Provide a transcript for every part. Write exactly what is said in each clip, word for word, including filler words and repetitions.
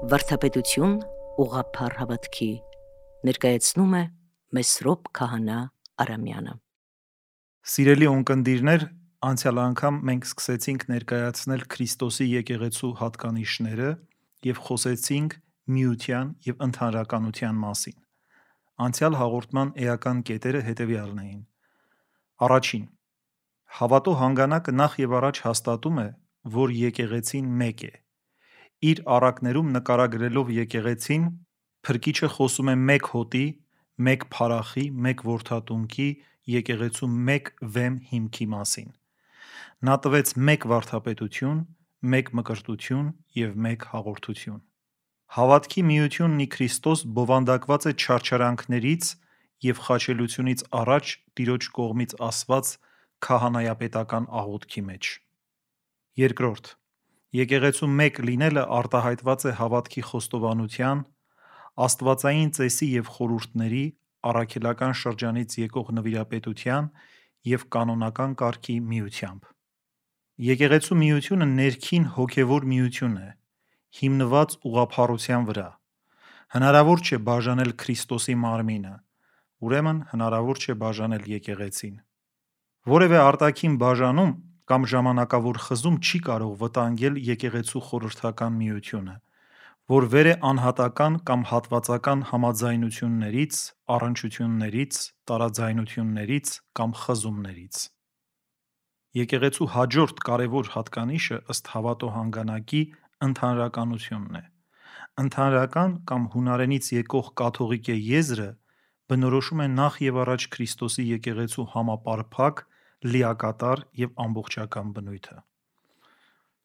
Վարդապետություն ուղղափառ հավատքի ներկայացնում է Մեսրոպ Քահանա Արամյանը։ Սիրելի ունկնդիրներ, անցյալ անգամ մենք սկսեցինք ներկայացնել Քրիստոսի եկեղեցու հատկանիշները և խոսեցինք միության և ընդհանրականության մասին։ Անցյալ հաղորդման էական կետերը հետևյալն էին. Առաջին. հավատո հանգանակը նախ և առաջ հաստատում է, որ եկեղեցին մեկ է։ Իր առակներում նկարագրելով եկեղեցին, Փրկիչը խոսում է մեկ հոտի, մեկ փարախի, մեկ որդատունկի, եկեղեցու մեկ վեմ հիմքի մասին։ Նա տվեց մեկ վարդապետություն, մեկ մկրտություն և մեկ հաղորդություն։ Հավատքի միությունն ի Քրիստոս բովանդակված է չարչարանքներից և խաչելությունից առաջ Տիրոջ կողմից ասված քահանայապետական աղոթքի մեջ։ Երկրորդ. եկեղեցու մեկ լինելը արտահայտված է հավատքի խոստովանության, աստվածային ծեսի և խորհուրդների, առաքելական շրջանից եկող նվիրապետության և կանոնական կարգի միությամբ։ Եկեղեցու միությունը ներքին հոգևոր միություն է, հիմնված ուղղափառության վրա։ Հնարավոր չէ բաժանել Քրիստոսի մարմինը, ուրեմն հնարավոր չէ բաժանել եկեղեցին։ Որևէ արտաքին բաժանում կամ ժամանակավոր խզում չի կարող վտանգել եկեղեցու խորհրդական միությունը, որ վեր է անհատական կամ հատվածական համաձայնություններից, առնչություններից, տարաձայնություններից կամ խզումներից։ Եկեղեցու հաջորդ կարևոր հատկանիշը ըստ հավատո հանգանակի ընդհանրականությունն է։ Ընդհանրական կամ հունարենից եկող կաթողիկե եզրը բնորոշում է նախ և առաջ Քրիստոսի եկեղեցու համապարփակ, լիակատար և ամբողջական բնույթը։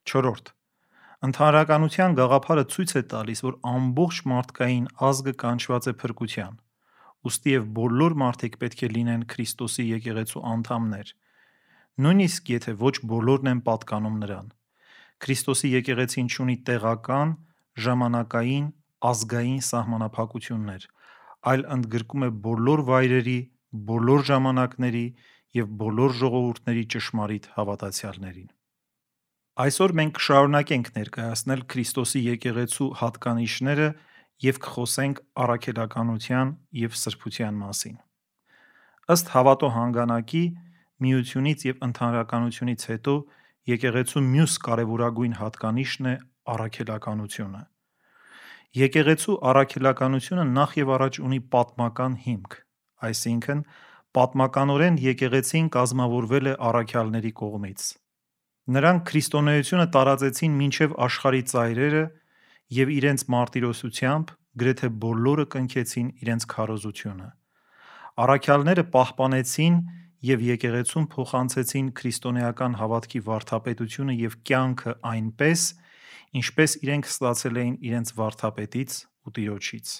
Չորրորդ. Ընդհանրականության գաղափարը ցույց է տալիս, որ ամբողջ մարդկային ազգը կանչված է փրկության, ուստի և բոլոր մարդիկ պետք է լինեն Քրիստոսի եկեղեցու անդամներ, նույնիսկ եթե ոչ բոլորն են պատկանում նրան։ Քրիստոսի եկեղեցին չունի տեղական, ժամանակային, ազգային սահմանափակություններ, այլ ընդգրկում է բոլոր վայրերի, բոլոր ժամանակների և բոլոր ժողովուրդների ճշմարիտ հավատացյալներին։ Այսօր մենք կշարունակենք ներկայացնել Քրիստոսի եկեղեցու հատկանիշները և կխոսենք առաքելականության և սրբության մասին։ Ըստ հավատո հանգանակի, միությունից և ընդհանրականությունից հետո եկեղեցու մյուս կարևորագույն հատկանիշն է առաքելականությունը։ Եկեղեցու առաքելականությունը նախ և առաջ ունի պատմական հիմք, այսինքն պատմականորեն եկեղեցին կազմավորվել է առաքյալների կողմից։ Նրանք քրիստոնեությունը տարածեցին մինչև աշխարհի ծայրերը և իրենց մարտիրոսությամբ գրեթե բոլորը կնքեցին իրենց քարոզությունը։ Առաքյալները պահպանեցին և եկեղեցուն փոխանցեցին քրիստոնեական հավատքի վարդապետությունը և կյանքը այնպես, ինչպես իրենք ստացել էին իրենց վարդապետից ու Տիրոջից։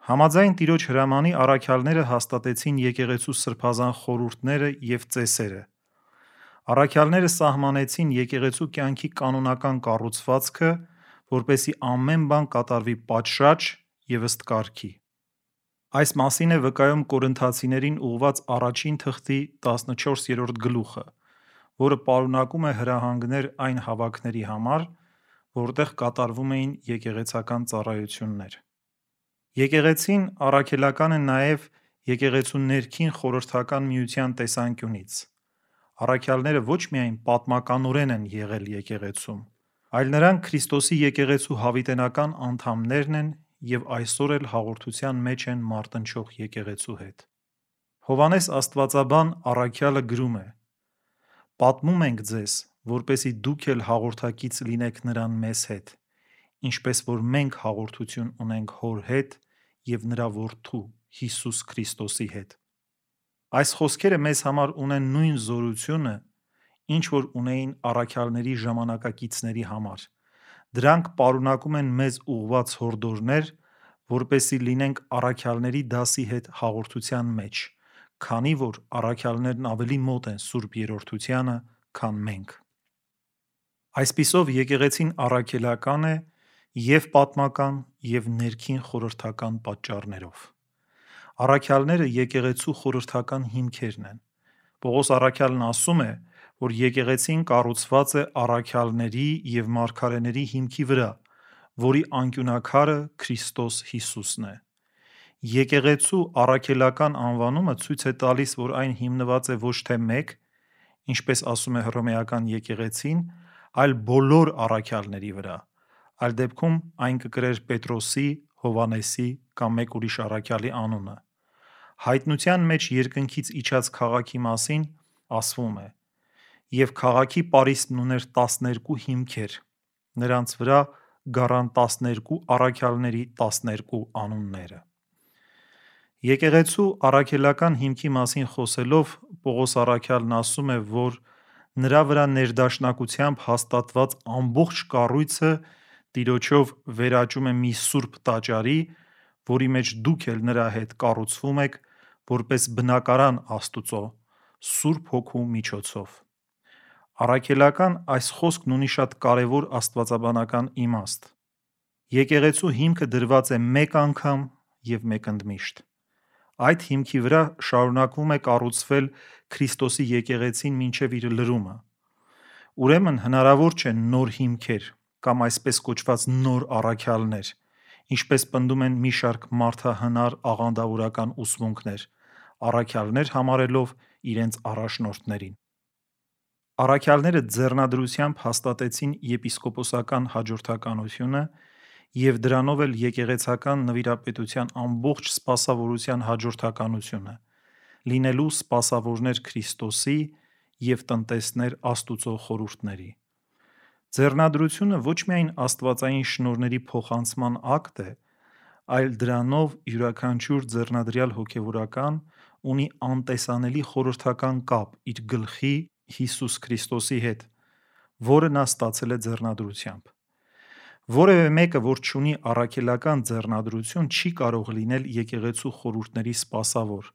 Համաձայն Տիրոջ հրամանի առաքյալները հաստատեցին եկեղեցու սրբազան խորհուրդները և ծեսերը։ Առաքյալները սահմանեցին եկեղեցու կյանքի կանոնական կառուցվածքը, որպեսզի ամեն բան կատարվի պատշաճ և ըստ կարգի։ Այս մասին է վկայում Կորինթացիներին ուղղված առաջին թղթի տասնչորսերորդ գլուխը, որը պարունակում է հրահանգներ այն հավաքների համար, որտեղ կատարվում էին եկեղեցական ծառայություններ։ Եկեղեցին առաքելական է նաև եկեղեցու ներքին խորհրդական միության տեսանկյունից։ Առաքյալները ոչ միայն պատմականորեն են եղել եկեղեցում, այլ նրանք Քրիստոսի եկեղեցու հավիտենական անդամներն են և այսօր էլ հաղորդության մեջ են մարտնչող եկեղեցու հետ։ Հովհաննես Աստվածաբան առաքյալը գրում է. «Պատմում ենք ձեզ, որպեսզի դուք էլ հաղորդակից լինեք նրան մեզ հետ, ինչպես որ մենք հաղորդություն ունենք Հոր հետ և նրա Որդու Հիսուս Քրիստոսի հետ»։ Այս խոսքերը մեզ համար ունեն նույն զորությունը, ինչ որ ունեին առաքյալների ժամանակակիցների համար։ Դրանք պարունակում են մեզ ուղղված հորդորներ, որպեսզի լինենք առաքյալների դասի հետ հաղորդության մեջ, քանի որ առաքյալներն ավելի մոտ են Սուրբ Երրորդությանը, քան մենք։ Այսպիսով, եկեղեցին առաքելական է և՛ պատմական, և՛ ներքին խորհրդական պատճառներով։ Առաքյալները եկեղեցու խորհրդական հիմքերն են։ Պողոս առաքյալն ասում է, որ եկեղեցին կառուցված է առաքյալների և մարգարեների հիմքի վրա, որի անկյունակարը Քրիստոս Հիսուսն է։ Եկեղեցու առաքելական անվանումը ցույց է տալիս, որ այն հիմնված է ոչ թե մեկ, ինչպես ասում է հռոմեական եկեղեցին, այլ բոլոր առաքյալների վրա, այլ դեպքում այն կկրեր Պետրոսի, Հովանեսի կամ մեկ ուրիշ առաքյալի անունը։ Հայտնության մեջ երկնքից իջած քաղաքի մասին ասվում է. «Եվ քաղաքի պարիսպն ուներ տասներկու հիմքեր, նրանց վրա գառան տասներկու առաքյալների տասներկու անունները»։ Եկեղեցու առաքելական հիմքի մասին խոսելով Պողոս առաքյալն ասում է, որ նրա վրա ներդաշնակությամբ հաստատված ամբողջ կառույցը Տիրոջով վերաճում է մի սուրբ տաճարի, որի մեջ դուք էլ նրա հետ կառուցվում եք որպես բնակարան Աստուծո Սուրբ Հոգու միջոցով։ Առաքելական այս խոսքն ունի շատ կարևոր աստվածաբանական իմաստ։ Եկեղեցու հիմքը դրված է մեկ անգամ և մեկընդմիշտ։ Այդ հիմքի վրա շարունակվում է կառուցվել Քրիստոսի եկեղեցին մինչև իր լրումը։ Ուրեմն հնարավոր չէ նոր հիմքեր կամ այսպես կոչված նոր առաքյալներ, ինչպես պնդում են մի շարք մարդահնար աղանդավորական ուսմունքներ, առաքյալներ համարելով իրենց առաջնորդներին։ Առաքյալները ձեռնադրությամբ հաստատեցին եպիսկոպոսական հաջորդականությունը և դրանով էլ եկեղեցական նվիրապետության ամբողջ սպասավորության հաջորդականությունը, լինելու սպասավորներ Քրիստոսի և տնտեսներ Աստուծո խորհուրդների։ Ձեռնադրությունը ոչ միայն աստվածային շնորհների փոխանցման ակտ է, այլ դրանով յուրաքանչյուր ձեռնադրյալ հոգևորական ունի անտեսանելի խորհրդական կապ իր գլխի Հիսուս Քրիստոսի հետ, որը նա ստացել է ձեռնադրությամբ։ Որևէ մեկը, որ չունի առաքելական ձեռնադրություն, չի կարող լինել եկեղեցու խորհուրդների սպասավոր։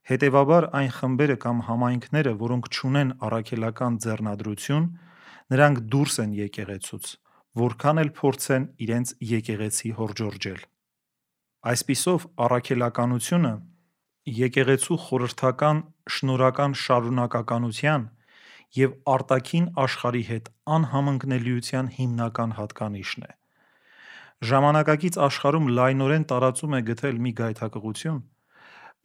Հետևաբար այն խմբերը կամ համայնքները, որոնք չունեն առաքելական ձեռնադրություն, նրանք դուրս են եկեղեցուց, որքան էլ փորձեն իրենց եկեղեցի հորդորջել։ Այսպիսով, առաքելականությունը եկեղեցու խորհրդական շնորհական շարունակականության և արտաքին աշխարհի հետ անհամընկնելիության հիմնական հատկանիշն է։ Ժամանակակից աշխարհում լայնորեն տարածում է գտել մի գայթակղություն,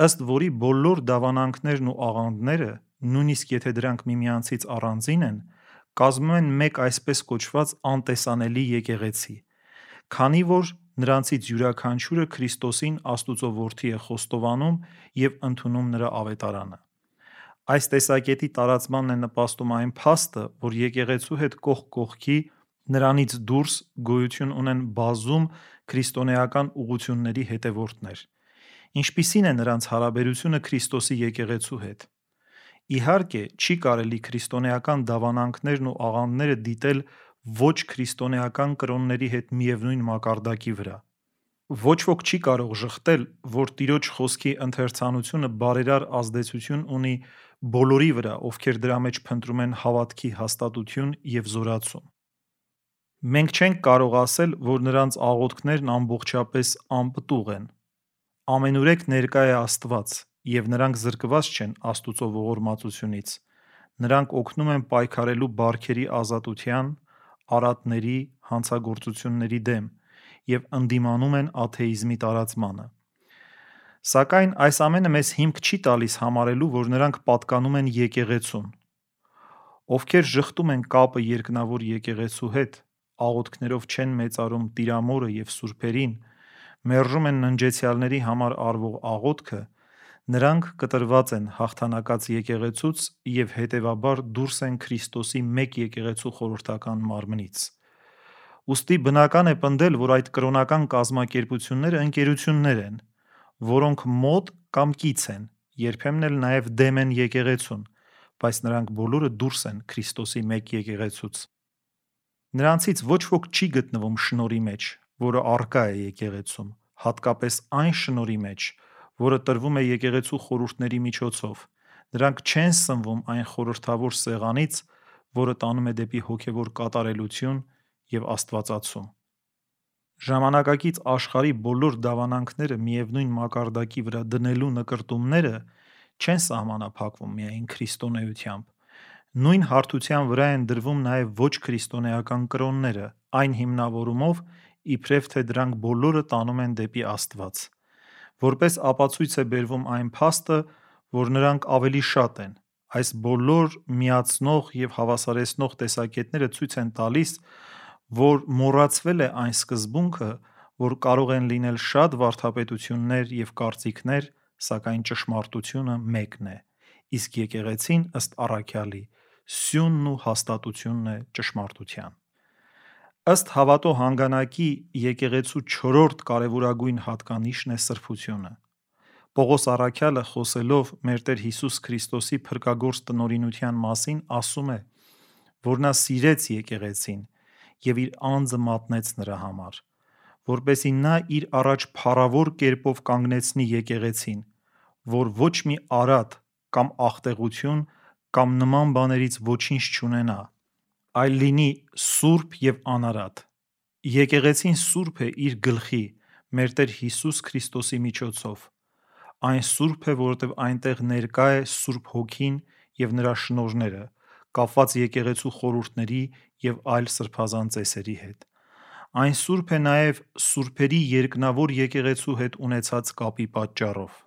ըստ որի բոլոր դավանանքներն ու աղանդները, նույնիսկ եթե դրանք միմյանցից առանձին են, կազմում են մեկ այսպես կոչված անտեսանելի եկեղեցի, քանի որ նրանցից յուրաքանչյուրը Քրիստոսին Աստուծո Որդի է խոստովանում և ընդունում նրա ավետարանը։ Այս տեսակետի տարածմանն է նպաստում այն փաստը, որ եկեղեցու հետ կողք կողքի նրանից դուրս գոյություն ունեն բազում քրիստոնեական ուղղությունների հետևորդներ։ Ինչպիսի՞ն է նրանց հարաբերությունը Քրիստոսի եկեղեցու հետ։ Իհարկե, չի կարելի քրիստոնեական դավանանքներն ու աղանդները դիտել ոչ քրիստոնեական կրոնների հետ միևնույն մակարդակի վրա։ Ոչ ոք չի կարող ժխտել, որ Տիրոջ խոսքի ընթերցանությունը բարերար ազդեցություն ունի բոլորի վրա, ովքեր դրա մեջ փնտրում են հավատքի հաստատություն և զորացում։ Մենք չենք կարող ասել, որ նրանց աղոթքներն ամբողջապես անպտուղ են։ Ամենուրեք ներկա է Աստված, և նրանք զրկված չեն Աստուծո ողորմածությունից։ Նրանք օգնում են պայքարելու բարքերի ազատության, արատների, հանցագործությունների դեմ և ընդդիմանում են աթեիզմի տարածմանը։ Սակայն այս ամենը մեզ հիմք չի տալիս համարելու, որ նրանք պատկանում են եկեղեցուն։ Ովքեր ժխտում են կապը երկնավոր եկեղեցու հետ, աղոթքներով չեն մեծարում Տիրամորը և սուրբերին, մերժում են ննջեցյալների համար արվող աղոթքը, նրանք կտրված են հաղթանակած եկեղեցուց և հետևաբար դուրս են Քրիստոսի մեկ եկեղեցու խորհրդական մարմնից։ Ուստի բնական է պնդել, որ այդ կրոնական կազմակերպությունները ընկերություններ են, որոնք մոտ կամ կից են, երբեմն էլ նաև դեմ են եկեղեցուն, բայց նրանք բոլորը դուրս են Քրիստոսի մեկ եկեղեցուց։ Նրանցից ոչ ոք չի գտնվում շնորհի մեջ, որը առկա է եկեղեցում, հատկապես այն շնորհի մեջ, որը տրվում է եկեղեցու խորհուրդների միջոցով։ Նրանք չեն սնվում այն խորհրդավոր սեղանից, որը տանում է դեպի հոգևոր կատարելություն և աստվածացում։ Ժամանակակից աշխարհի բոլոր դավանանքները միևնույն մակարդակի վրա դնելու նկրտումները չեն սահմանափակվում միայն քրիստոնեությամբ։ Նույն հարթության վրա են դրվում նաև ոչ քրիստոնեական կրոնները, այն հիմնավորումով, իբրև թե դրանք բոլորը տանում են դեպի Աստված։ Որպես ապացույց է բերվում այն փաստը, որ նրանք ավելի շատ են։ Այս բոլոր միացնող և հավասարեցնող տեսակետները ցույց են տալիս, որ մոռացվել է այն սկզբունքը, որ կարող են լինել շատ վարդապետություններ և կարծիքներ, սակայն ճշմարտությունը մեկն է, իսկ եկեղեցին ըստ առաքյալի սյունն ու հաստատությունն է ճշմարտության։ Ըստ հավատո հանգանակի եկեղեցու չորրորդ կարևորագույն հատկանիշն է սրբությունը։ Պողոս առաքյալը խոսելով մեր Տեր Հիսուս Քրիստոսի փրկագործ տնօրինության մասին ասում է, որ նա սիրեց եկեղեցին և իր անձը մատնեց նրա համար, որպեսզի նա իր առաջ փառավոր կերպով կանգնեցնի եկեղեցին, որ ոչ մի արատ կամ աղտեղություն կամ նման բաներից ոչինչ չունենա, այլ լինի սուրբ և անարատ։ Եկեղեցին սուրբ է իր գլխի՝ մեր Տեր Հիսուս Քրիստոսի միջոցով։ Այն սուրբ է, որովհետև այնտեղ ներկա է Սուրբ Հոգին և նրա շնորհները, կապված եկեղեցու խորհուրդների և այլ սրբազան ծեսերի հետ։ Այն սուրբ է նաև սուրբերի երկնավոր եկեղեցու հետ ունեցած կապի պատճառով։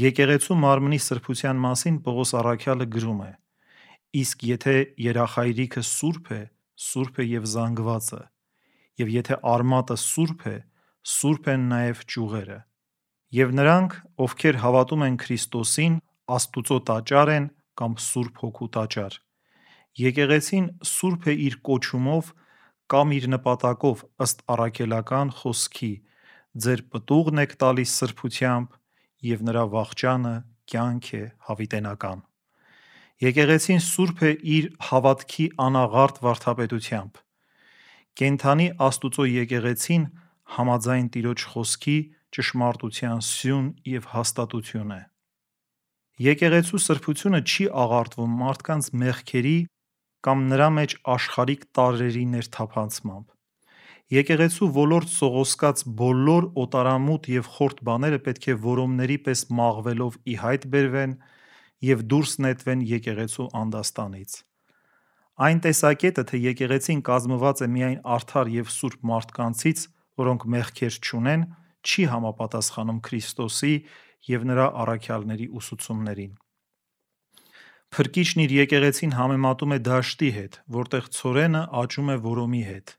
Եկեղեցու մարմնի սրբության մասին Պողոս առաքյալը գրում է. «Իսկ եթե երախայրիքը սուրբ է, սուրբ է և զանգվածը, և եթե արմատը սուրբ է, սուրբ են նաև ճյուղերը։ Եվ նրանք, ովքեր հավատում են Քրիստոսին, Աստուծո տաճար են կամ Սուրբ Հոգու տաճար։ Եկեղեցին սուրբ է իր կոչումով կամ իր նպատակով ըստ առաքելական խոսքի. ձեր պտուղն եք տալիս սրբությամբ, և նրա վախճանը կյանք է հավիտենական։ Եկեղեցին սուրբ է իր հավատքի անաղարտ վարդապետությամբ։ Կենդանի Աստուծո եկեղեցին համաձայն Տիրոջ խոսքի ճշմարտության սյուն և հաստատություն է։ Եկեղեցու սրբությունը չի աղարտվում մարդկանց մեղքերի կամ նրա մեջ աշխարհիկ տարրերի ներթափանցմամբ։ Եկեղեցու ոլորտ սողոսկած բոլոր օտարամութ և խորթ բաները պետք է որոմների պես մաղվելով ի հայտ բերվեն և դուրս նետվեն եկեղեցու անդաստանից։ Այն տեսակետը, թե եկեղեցին կազմված է միայն արդար և սուրբ մարդկանցից, որոնք մեղքեր չունեն, չի համապատասխանում Քրիստոսի և նրա առաքյալների ուսուցումներին։ Փրկիչն իր եկեղեցին համեմատում է դաշտի հետ, որտեղ ցորենը աճում է որոմի հետ,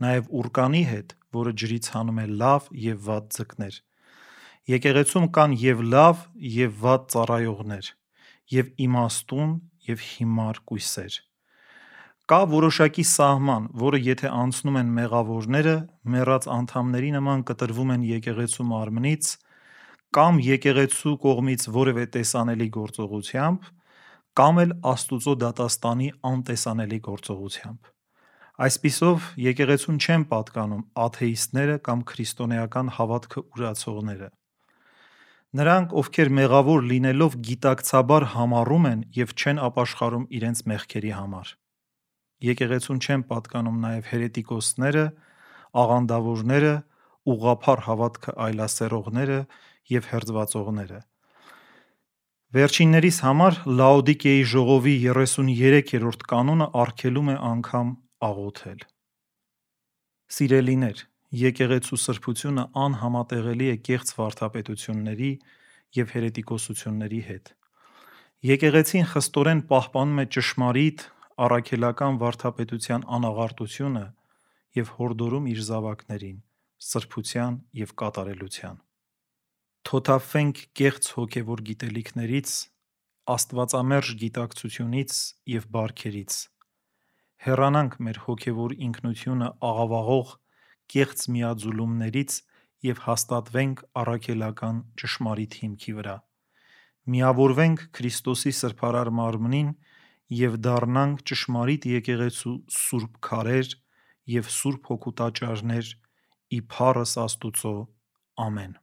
նաև ուռկանի հետ, որը ջրից հանում է լավ և վատ ձկներ։ Եկեղեցում կան և լավ, և վատ ծառայողներ, և իմաստուն, և հիմար կույսեր։ Կա որոշակի սահման, որը եթե անցնում են մեղավորները, մեռած անդամների նման կտրվում են եկեղեցու մարմնից, կամ եկեղեցու կողմից որևէ տեսանելի գործողությամբ, կամ էլ Աստուծո դատաստանի անտեսանելի գործողությամբ։ Այսպիսով, եկեղեցուն չեն պատկանում աթեիստները կամ քրիստոնեական հավատքը ուրացողները։ Նրանք, ովքեր մեղավոր լինելով գիտակցաբար համառում են և չեն ապաշխարում իրենց մեղքերի համար։ Եկեղեցուն չեն պատկանում նաև հերետիկոսները, աղանդավորները, ուղղափառ հավատքը այլասերողները և հերձվածողները։ Վերջիններիս համար Լաոդիկեի ժողովի երեսուներեքերորդ կանոնը արգելում է անգամ աղոթել։ Սիրելիներ, եկեղեցու սրբությունը անհամատեղելի է կեղծ վարդապետությունների և հերետիկոսությունների հետ։ Եկեղեցին խստորեն պահպանում է ճշմարիտ, առաքելական վարդապետության անաղարտությունը և հորդորում իր զավակներին սրբության և կատարելության։ Թոթափվենք կեղծ հոգևոր գիտելիքներից, աստվածամերժ գիտակցությունից և բարքերից։ Հեռանանք մեր հոգևոր ինքնությունը աղավաղող կեղծ միաձուլումներից և հաստատվենք առաքելական ճշմարիտ հիմքի վրա։ Միավորվենք Քրիստոսի սրբարար մարմնին և դառնանք ճշմարիտ եկեղեցու սուրբ քարեր և Սուրբ Հոգու տաճարներ ի փառս Աստուծո։ Ամեն։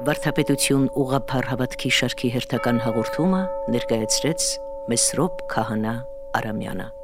Վարդապետություն ուղղափառ հավատքի շարքի հերթական հաղորդումը ներկայացրեց Մեսրոպ Քահանա Արամյանը։